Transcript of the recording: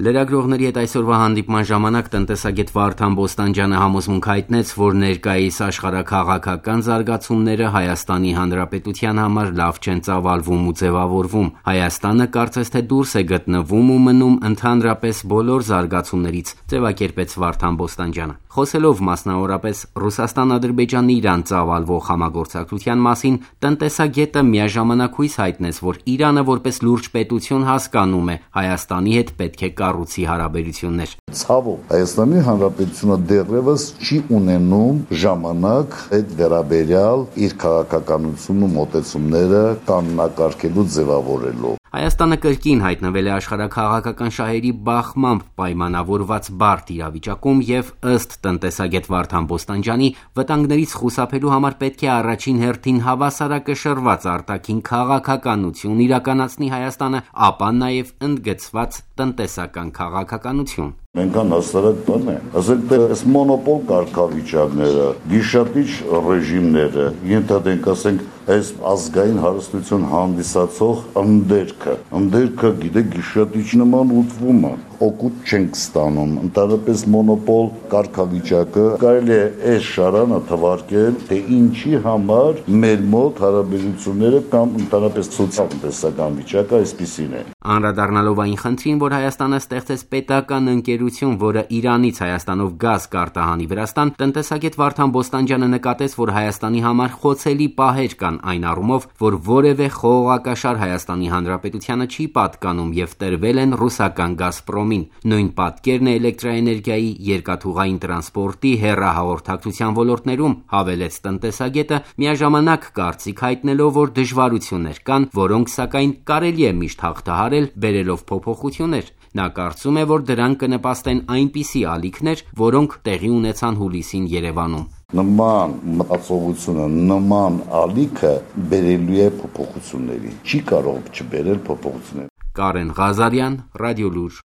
Լրագրողների հետ այսօրվա հանդիպման ժամանակ տնտեսագետ Վարդան Բոստանջյանը համոզմունք հայտնեց, որ ներկայիս աշխարհաքաղաքական զարգացումները Հայաստանի Հանրապետության համար լավ չեն ծավալվում ու ձևավորվում։ Հայաստանը կարծես թե դուրս է գտնվում ու մնում ընդհանրապես բոլոր զարգացումներից, ձևակերպեց Վարդան Բոստանջյանը։ Խոսելով մասնավորապես Ռուսաստան-Ադրբեջան-Իրան ծավալվող համագործակցության մասին, տնտեսագետը միաժամանակ հույս հայտնեց, որ Իրանը որպես լուրջ պետություն հասկանում է Հայաստանի հետ պետք է կառուցի հարաբերություններ։ Ցավոք, Հայաստանի Հանրապետությունը դեռևս չի ունենում ժամանակ այդ վերաբերյալ իր քաղաքականությունն ու մոտեցումները կանոնակարգելու ձևավորելու։ Հայաստանը կրկին հայտնվել է աշխարհաքաղաքական շահերի բախմամբ պայմանավորված բարդ իրավիճակում եւ ըստ տնտեսագետ Վարդան Բոստանջյանի վտանգներից խուսափելու համար պետք է առաջին հերթին հավասարակշռված արտաքին քաղաքականություն իրականացնի Հայաստանը, ապա նաեւ ընդգծված տնտեսական քաղաքականություն։ Մենք հաստատ բան է, ասենք թե այս մոնոպոլ կարգավիճակները, գիշատիչ ռեժիմները, ենթադրենք ասենք այս ազգային հարստություն հանդիսացող ընդերքը գիտեք գիշատիչ նման ուտվում է, օգուտ չենք ստանում, ընդհանրապես մոնոպոլ կարգավիճակը կարելի է այս շարանը թվարկել, թե ինչի համար մեր մոտ հարաբերությունները կամ ընդհանրապես սոցիալ-տնտեսական վիճակը այսպիսին է։ Անդրադառնալով այն խնդրին, որ Հայաստանը ստեղծեց պետական ընկերություն, որը Իրանից Հայաստանով գազ կարտահանի Վրաստան, տնտեսագետ Վարդան Բոստանջյանը նկատեց, որ Հայաստանի համար խոցելի պահեր կան այն առումով, որ որևէ խողովակաշար Հայաստանի Հանրապետությանը չի պատկանում եւ տրվել են ռուսական Գազպրոմին։ Նույն պատկերն է էլեկտրաէներգիայի, երկաթուղային տրանսպորտի, հեռահաղորդակցության ոլորտներում, հավելեց տնտեսագետը, միաժամանակ կարծիք հայտնելով, որ դժվարություններ կան, որոնք սակայն կարելի է միշտ հաղթահարել, բերելով փոփոխություններ։ Նա կարծում է, որ դրան կնպաստեն այնպիսի ալիքներ, որոնք տեղի ունեցան հուլիսին Երևանում։ Նման մտածողությունը, նման ալիքը բերելու է փոփոխությունների։ Չի կարող չբերել փոփոխություններ։ Կարեն Ղազարյան, Ռադիոլուր։